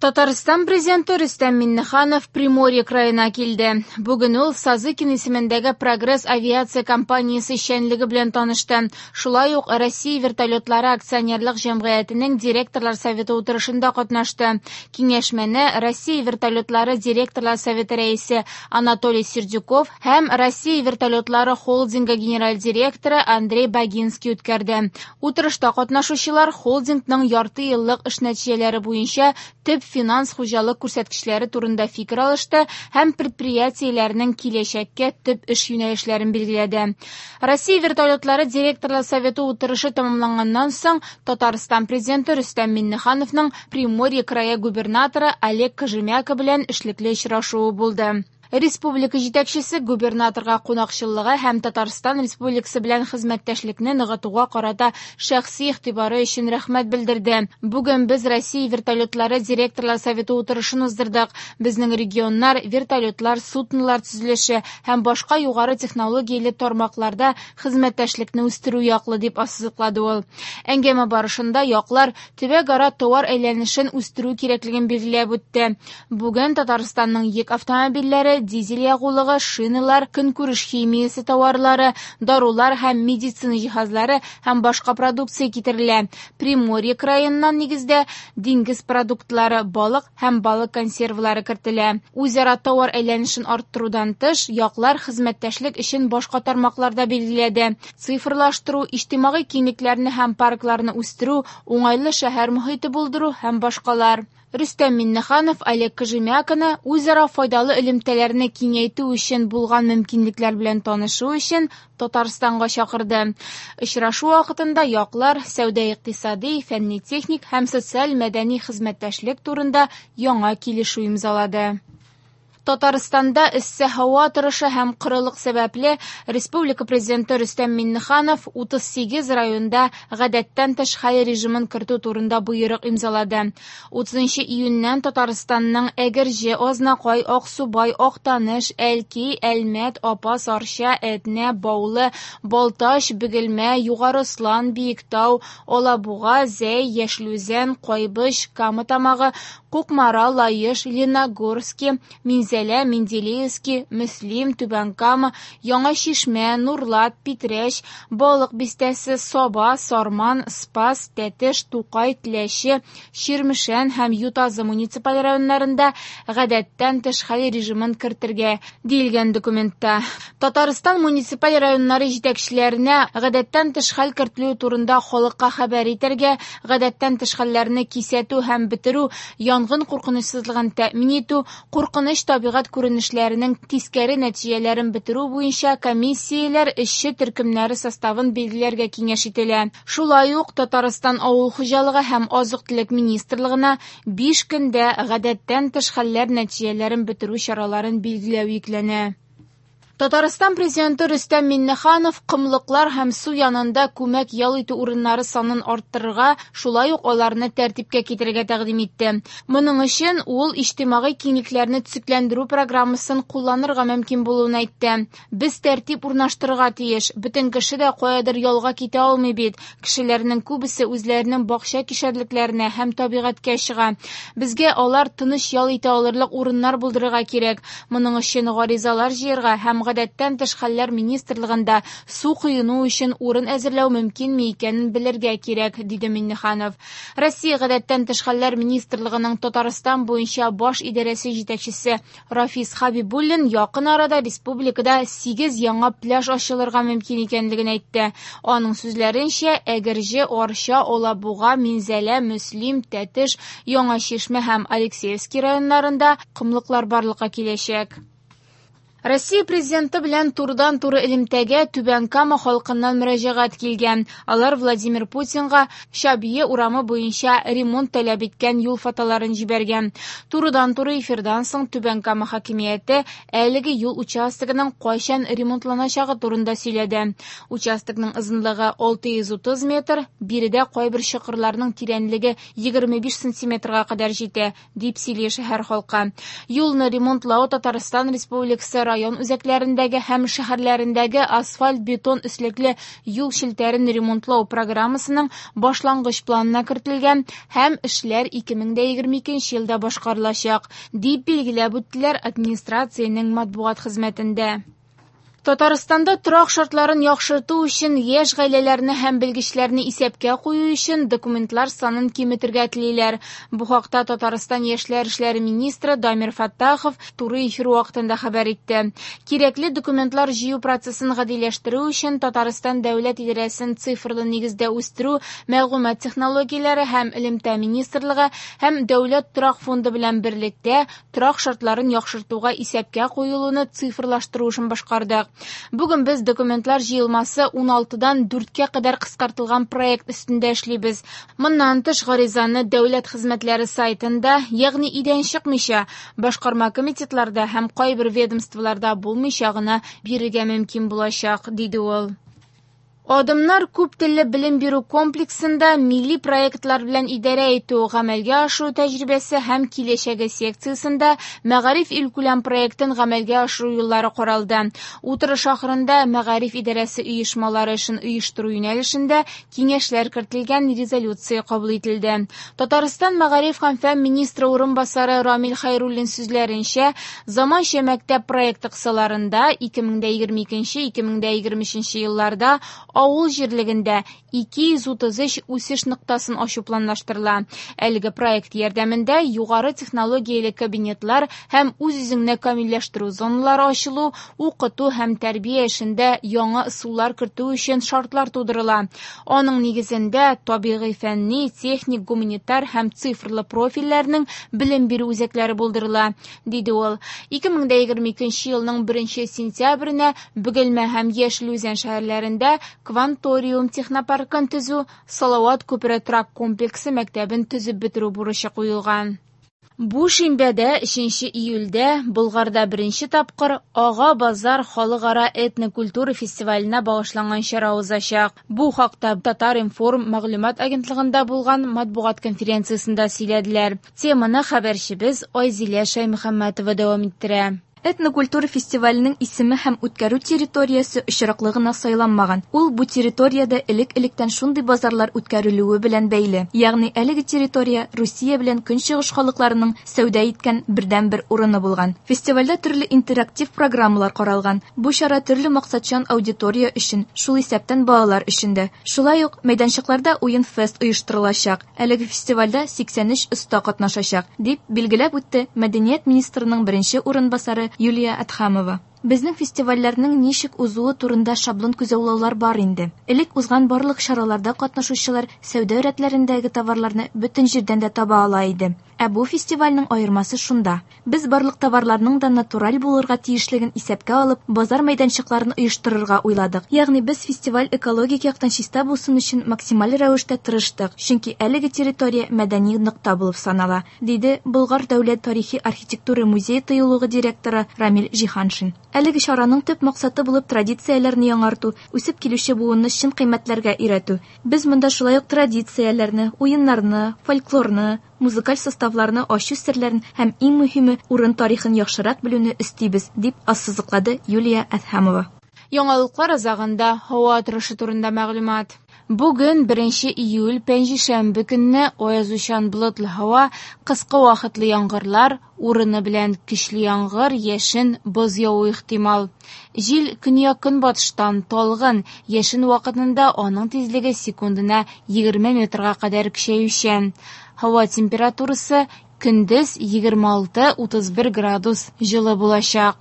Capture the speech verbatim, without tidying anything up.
Татарстан президенты Рөстәм Миңнеханов Приморье краена килде. Бүген ул Сазыкин исемендәге Прогресс авиация компаниясе эшчәнлеге белән танышты. Шулай ук Россия вертолетлары акционерлык җәмгыятенең директорлар советы утырышында катнашты. Киңәшмәне Россия вертолетлары директорлар советы рәисе Анатолий Сердюков һәм Россия вертолетлары холдингы генераль директоры Андрей Багинский үткәрде. Утырышта катнашучылар холдингның ярты еллык эш нәтиҗәләре буенча төп финанс хуҗалык күрсәткечләре турында фикер алышты һәм предприятиеләрнең киләчәккә төп эш юнәлешләрен билгеләде. Россия вертолетлары директорлар советы утырышы тәмамланганнан соң Татарстан президенты Рөстәм Миңнехановның Приморье крае губернаторы Олег Кожемяко белән эшлекле очрашуы булды. Республика җитәкчесе губернаторга кунакчыллыгы һәм Татарстан Республикасы белән хезмәттәшлекне ныгытуга карата шәхси игътибары өчен рәхмәт белдерде. Бүген без Россия вертолетлары директорлар советы утырышын уздырдык. Безнең регионнар вертолетлар, суднолар төзелеше һәм башка югары технологияле тармакларда хезмәттәшлекне үстерү яклы, дип ассызыклады ул. Әңгәмә барышында яклар төбәкара товар әйләнешен үстерү кирәклеген билгеләп үтте. Бүген Татарстанның йөк автомобильләре, дизель ягулыгы, шиналар, көнкүреш химиясе товарлары, дарулар һәм медицина җиһазлары һәм башка продукция китерелә. Приморье краеннан нигездә диңгез продуктлары, балык һәм балык консервлары кертелә. Үзара товар әйләнешен арттырудан тыш, яклар хезмәттәшлек өчен башка тармакларда билгеләде. Цифрлаштыру, иҗтимагый киңлекләрне һәм паркларны үстерү, уңайлы шәһәр мохите булдыру һәм башкалар. Рөстәм Миңнеханов Олег Кожемяконы үзара файдалы элемтәләрне киңәйтү өчен булган мөмкинлекләр белән танышу өчен Татарстанга чакырды. Очрашу вакытында яклар сәүдә-икътисади, фәнни-техник һәм социаль-мәдәни хезмәттәшлек турында яңа килешү имзалады. Татарстанда эссе һава торышы һәм корылык сәбәпле Республика президенты Рөстәм Миңнеханов утыз сигез районда гадәттән тыш хәл режимын кертү турында боерык имзалады. утызынчы июньнән Татарстанның Әгерҗе, Азнакай, Аксубай, Актаныш, Әлки, Әлмәт, Апас, Арча, Әтнә, Баулы, Балтач, Бөгелмә, Югары Ослан, Биектау, Алабуга, Зәй, Яшел Үзән, Кайбыч, Кама Тамагы, Кукмара, Лаеш, Лениногорски, Минзәлә, Менделеевский, Мөслим, Түбән Кама, Яңа Чишмә, Нурлат, Питрәч, Балык Бистәсе, Саба, Сарман, Спас, Тәтеш, Тукай, Теләче, Чирмешән һәм Ютазы муниципаль районнарында гадәттән тыш хәл режимын кертергә, диелгән документта. Татарстан муниципаль районнары җитәкчеләренә гадәттән тыш хәл кертелү турында халыкка хәбәр итәргә, гадәттән тыш хәлләрне кисәтү һәм бетерү, янгын куркынычсызлыгын тәэмин итү, куркыныч табигать күренешләренең тискәре нәтиҗәләрен бетерү буенча комиссияләр эшче төркемнәре составын билгеләргә киңәш ителә. Шулай ук Татарстан Авыл хуҗалыгы һәм азык-төлек министрлыгына биш көндә гадәттән тыш хәлләр нәтиҗәләрен бетерү чараларын билгеләү йөкләнә. Татарстан президенты Рөстәм Миңнеханов комлыклар һәм су янында күмәк ял итү урыннары санын арттырырга, шулай ук аларны тәртипкә китерергә тәкъдим итте. Моның өчен ул иҗтимагый киңлекләрне төзекләндерү программасын кулланырга мөмкин булуын әйтте. Без тәртип урнаштырырга тиеш. Бөтен кеше дә каядыр ялга китә алмый бит. Кешеләрнең күбесе үзләренең бакча кишәрлекләренә һәм табигатькә чыга. Безгә алар тыныч ял итә алырлык урыннар булдырырга кирәк. Моның өчен гаризалар җыярга һәм гадәттән тыш хәлләр министрлыгында су коену өчен урын әзерләү мөмкинме икәнен белергә кирәк, диде Миңнеханов. Россия гадәттән тыш хәлләр министрлыгының Татарстан буенча баш идарәсе җитәкчесе Рафис Хабибуллин якын арада республикада сигез яңа пляж ачылырга мөмкин икәнлеген әйтте. Аның сүзләренчә, Әгерҗе, Арча, Алабуга, Минзәлә, Мөслим, Тәтеш, Яңа Чишмә һәм Алексеевский районнарында комлыклар барлыкка киләчәк. Россия президенты белән турыдан-туры элемтәгә Түбән Кама халкыннан мөрәҗәгать килгән. Алар Владимир Путинга Чабье урамы буенча ремонт таләп иткән юл фотоларын җибәргән. Турыдан-туры эфирдан соң Түбән Кама хакимияте әлеге юл участогының кайчан ремонтланачагы турында сөйләде. Участокның озынлыгы алты йөз утыз метр, биредә кайбер чокырларның тирәнлеге егерме биш сантиметрга кадәр җитә, дип сөйли шәһәр халкы. Юлны ремонтлау Татарстан Республикасы район үзәкләрендәге һәм шәһәрләрендәге асфальт-бетон өслекле юл челтәрен ремонтлау программасының башлангыч планына кертелгән һәм эшләр ике мең дә егерме икенче елда башкарылачак, дип билгеләп үттеләр администрациянең матбугат хезмәтендә. Татарстанда торак шартларын яхшырту өчен яшь гаиләләрне һәм белгечләрне исәпкә кую өчен документлар санын киметергә телиләр. Бу хакта Татарстан яшьләр эшләре министры Дамир Фаттахов туры эфир вакытында хәбәр итте. Кирәкле документлар җыю процессын гадиләштерү өчен Татарстан дәүләт идарәсен цифрлы нигездә үстерү, мәгълүмат технологияләре һәм элемтә министрлыгы һәм Дәүләт торак фонды белән берлектә торак шартларын яхшыртуга исәпкә куелуны цифрлаштыру эшен башкардык. Бүген без документлар җыелмасы ун алтыдан дүрткә кадәр кыскартылган проект өстендә эшлибез. Моннан тыш гаризаны дәүләт хезмәтләре сайтында, ягъни өйдән чыкмыйча, башкарма комитетларда һәм кайбер ведомстволарда булмыйча гына бирергә мөмкин булачак, диде ул. Адымнар күп телле белем бирү комплексында милли проектлар белән идарә итү, гамәлгә ашыру тәҗрибәсе һәм киләчәге секциясендә Мәгариф илкүләм проектын гамәлгә ашыру юллары каралды. Утырыш ахырында Мәгариф идарәсе оешмалары эшен оештыру юнәлешендә киңәшләр кертелгән резолюция кабул ителде. Татарстан Мәгариф һәм фән министры урынбасары Рамил Хәйруллин сүзләренчә, заманча мәктәп проекты кысаларында ике мең дә егерме икенче - ике мең дә егерме өченче елларда авыл җирлегендә ике йөз утыз өч үсеш ноктасын ачу планлаштырыла. Әлеге проект ярдәмендә югары технологияле кабинетлар һәм үз-үзеңне камилләштерү зоналары ачылу, укыту һәм тәрбия эшендә яңа ысуллар кертү өчен шартлар тудырыла. Аның нигезендә табигый фәнни, техник, гуманитар һәм цифрлы профильләрнең белем бирү үзәкләре булдырыла, диде ул. ике мең дә егерме икенче елның беренче сентябренә Бөгелмә һәм Яшел Үзән шәһәрләрендә Кванториум технопаркын төзү, Салават күпере торак комплексы мәктәбен төзеп бетерү бурычы куелган. Бу шимбәдә өченче июльдә Болгарда беренче тапкыр Ага базар халыкара этнокультура фестиваленә багышланган чара узачак. Бу хакта Татар-информ мәгълүмат агентлыгында булган матбугат конференциясендә сөйләделәр. Теманы хәбәрчебез Айзилә Шәймөхәммәтова дәвам иттерә. Этнокультура фестиваленең исеме һәм үткәрү территориясе очраклы гына сайланмаган. Ул бу территориядә элек-электән шундый базарлар үткәрелүе белән бәйле. Ягъни әлеге территория Русия белән Көнчыгыш халыкларының сәүдә иткән бердәнбер урыны булган. Фестивальдә төрле интерактив программалар каралган. Бу чара төрле максатчан аудитория өчен, шул исәптән балалар өчен дә. Шулай ук мәйданчыкларда уен фест оештырылачак. Әлеге фестивальдә сиксән өч оста катнашачак, дип билгеләп үтте Мәдәният министрының беренче урынбасары Юлия Адхамова. Безнең фестивальләрнең ничек узуы турында шаблон күзаллаулар бар инде. Элек узган барлык чараларда катнашучылар сәүдә рәтләрендәге товарларны бөтен җирдән дә таба ала иде. Ә бу фестивальнең аермасы шунда. Без барлык товарларның да натураль булырга тиешлеген исәпкә алып, базар мәйданчыкларын оештырырга уйладык. Ягъни без фестиваль экологик яктан чиста булсын өчен максималь рәвештә тырыштык, чөнки әлеге территория мәдәни нокта булып санала, диде Болгар дәүләт тарихи архитектура музее тыюлыгы директоры Рамил Җиһаншин. Әлеге чараның төп максаты булып традицияләрне яңарту, үсеп килүче буынны чын кыйммәтләргә өйрәтү. Без монда шулай ук традицияләрне, уеннарны, фольклорны, музыкаль составларны ачу серләрен һәм иң мөһиме урын тарихын яхшырак белүне өстибез, дип ассызыклады Юлия Әдһәмова. Яңалыклар азагында һава торышы турында мәгълүмат. Бүген беренче июль пәнҗешәмбе көнне аязучан болытлы һава, кыска вакытлы яңгырлар, урыны белән көчле яңгыр, яшен, боз явуы ихтимал. Җил көньяк-көнбатыштан талгын, яшен вакытында аның тизлеге секундына егерме метрга кадәр көчәючән. Һава температурасы көндез егерме алты утыз бер градус җылы булачак.